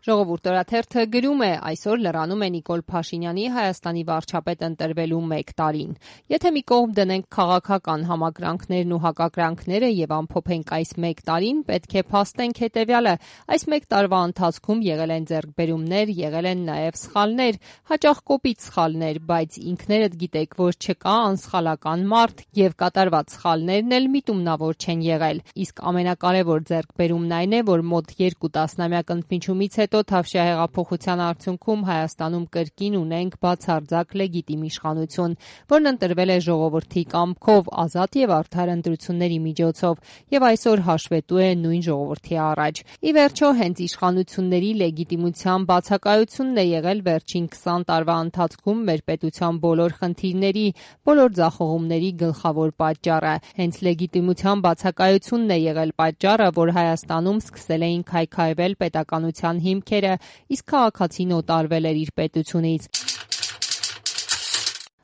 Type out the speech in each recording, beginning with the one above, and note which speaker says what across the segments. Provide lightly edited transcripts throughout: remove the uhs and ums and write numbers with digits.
Speaker 1: Ժողովուրդ օրաթերթը գրում է, այսօր լրանում է Նիկոլ Փաշինյանի Հայաստանի վարչապետ ընտրվելու 1 տարին։ Եթե մի կողմ դնենք քաղաքական համակրանքներն ու հակակրանքները եւ ամփոփենք այս 1 տարին, պետք է փաստենք հետեւյալը. այս 1 տարվա ընթացքում եղել են ձեռքբերումներ, եղել են նաեւ սխալներ, հաճախ կոպիտ սխալներ, բայց ինքներդ գիտեք, որ չկա անսխալական մարդ եւ կատարված սխալներն էլ միտումնավոր չեն եղել։ Իսկ ամենակարևոր ձեռքբերումն այն է, որ մոտ 2 տասնամյակ ընդմիջումից հետո Թավշյա հեղափոխության արդյունքում Հայաստանում կրկին ունենք բացարձակ լեգիտիմ իշխանություն, որն ընտրվել է ժողովրդի կամքով, ազատ եւ արդար ընտրությունների միջոցով եւ այսօր հաշվետու է նույն ժողովրդի առաջ։ Ի վերջո, հենց իշխանությունների լեգիտիմության բացակայությունն է եղել վերջին 20 տարվա ընթացքում մեր պետության բոլոր խնդիրների, բոլոր ձախողումների գլխավոր պատճառը։ Հենց լեգիտիմության բացակայությունն է եղել պատճառը, որ Հայաստանում սկսել էին քայքայվել պետականության հիմքերը, իսկ քաղաքացին օտարվել էր իր պետությունից։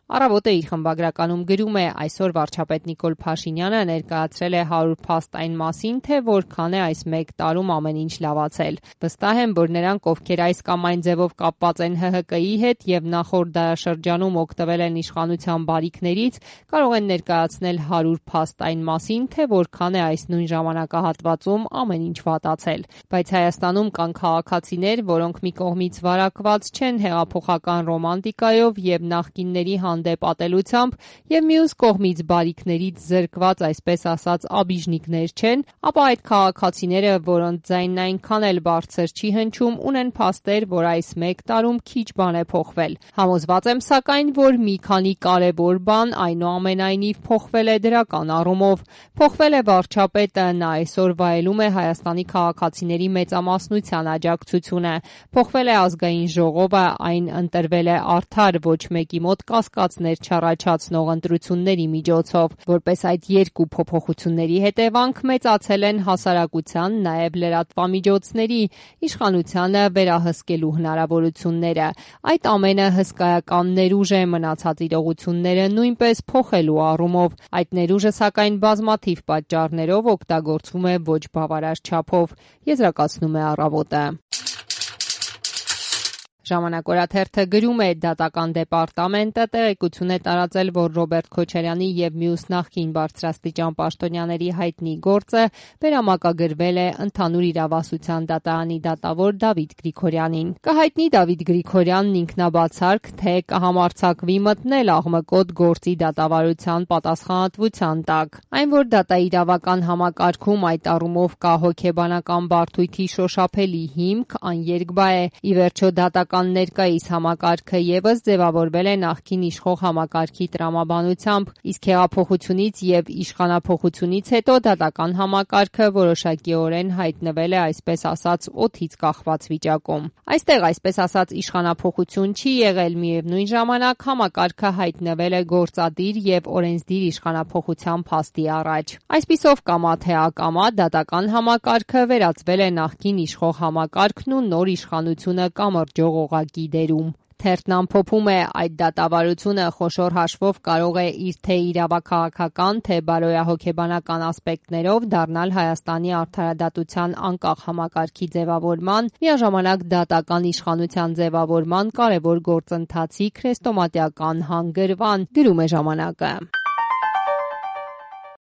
Speaker 1: Առավոտը իր խմբագրականում գրում է, այսօր վարչապետ Նիկոլ Փաշինյանը ներկայացրել է 100 փաստ այն մասին, թե որքան է այս 1 տարում ամեն ինչ լավացել։ Վստահ եմ, որ նրանք, ովքեր այս կամ այն ձևով կապված են ՀՀԿ-ի հետ եւ նախորդ դարաշրջանում օգտվել են իշխանության բարիքներից, կարող են ներկայացնել 100 փաստ այն մասին, թե որքան է այս նույն ժամանակահատվածում ամեն ինչ վատացել։ Բայց Հայաստանում կան քաղաքացիներ, որոնք մի կողմից վարակված չեն հեղափոխական ռոմանտիկայով եւ նախկինների հանդեպ ատելությամբ եւ մյուս կողմից բարիքներից զրկված, այսպես ասած, աբիժնիկներ չեն, ապա այդ քաղաքացիները, որոնց ձայնն այնքան էլ բարձր չի հնչում, ունեն փաստեր, որ այս 1 տարում քիչ բան է փոխվել։ Համոզված եմ սակայն, որ մի քանի կարևոր բան այնուամենայնիվ փոխվել է դրական առումով։ Փոխվել է վարչապետը, նա այսօր վայելում է Հայաստանի քաղաքացիների մեծամասնության աջակցությունը։ Փոխվել է ազգային ժողովը, այն ընտրվել է արդար, ոչ մեկի մոտ կասկածներ չառաջացնող ընտրությունների միջոցով։ Որպես այդ երկու փոփոխությունների հետևանք մեծացել են հասարակության, նաև լրատվամիջոցների, իշխանությանը վերահսկելու հնարավորությունները։ Այդ ամենը հսկայական ներուժ է մնացած իրողությունները նույնպես փոխելու առումով։ Այդ ներուժը սակայն բազմաթիվ պատճառներով օգտագործվում է ոչ բավարար չափով, եզրակացնում է Առավոտը։ Ժամանակ օրաթերթը գրում է, դատական դեպարտամենտը տեղեկություն է տարածել, որ Ռոբերտ Քոչարյանի եւ մյուս նախկին բարձրաստիճան պաշտոնյաների հայտնի գործը վերամակագրվել է ընդհանուր իրավասության դատարանի դատավոր Դավիթ Գրիգորյանին։ Կհայտնի Դավիթ Գրիգորյանն ինքնաբացարկ, թե կհամարձակվի մտնել աղմկոտ գործի դատավարության պատասխանատվության տակ։ Այն, որ դատաիրավական համակարգում այդ առումով կա հոգեբանական բարդույթի շոշափելի հիմք, աներկբա է։ Ի վերջո դատական ներկայիս համակարգը եւս ձևավորվել է նախկին իշխող համակարգի տրամաբանությամբ, իսկ հեղափոխությունից եւ իշխանափոխությունից հետո դատական համակարգը որոշակիորեն հայտնվել է, այսպես ասած, օդից կախված վիճակում։ Այստեղ, այսպես ասած, իշխանափոխություն չի եղել, միևնույն ժամանակ համակարգը հայտնվել է գործադիր եւ օրենսդիր իշխանափոխության փաստի առաջ։ Այսպիսով, կամա թե ակամա, դատական համակարգը վերածվել է նախկին իշխող համակարգն ու նոր իշխանությունը կամրջող օղակի դերում։ Թերթն ամփոփում է, այդ դատավարությունը խոշոր հաշվով կարող է իր թե իրավաքաղաքական, թե բարոյահոգեբանական ասպեկտներով դառնալ Հայաստանի արդարադատության անկախ համակարգի ձևավորման, միաժամանակ դատական իշխանության ձևավորման կարևոր գործընթացի քրեստոմատիական հանգրվան, գրում է Ժամանակը։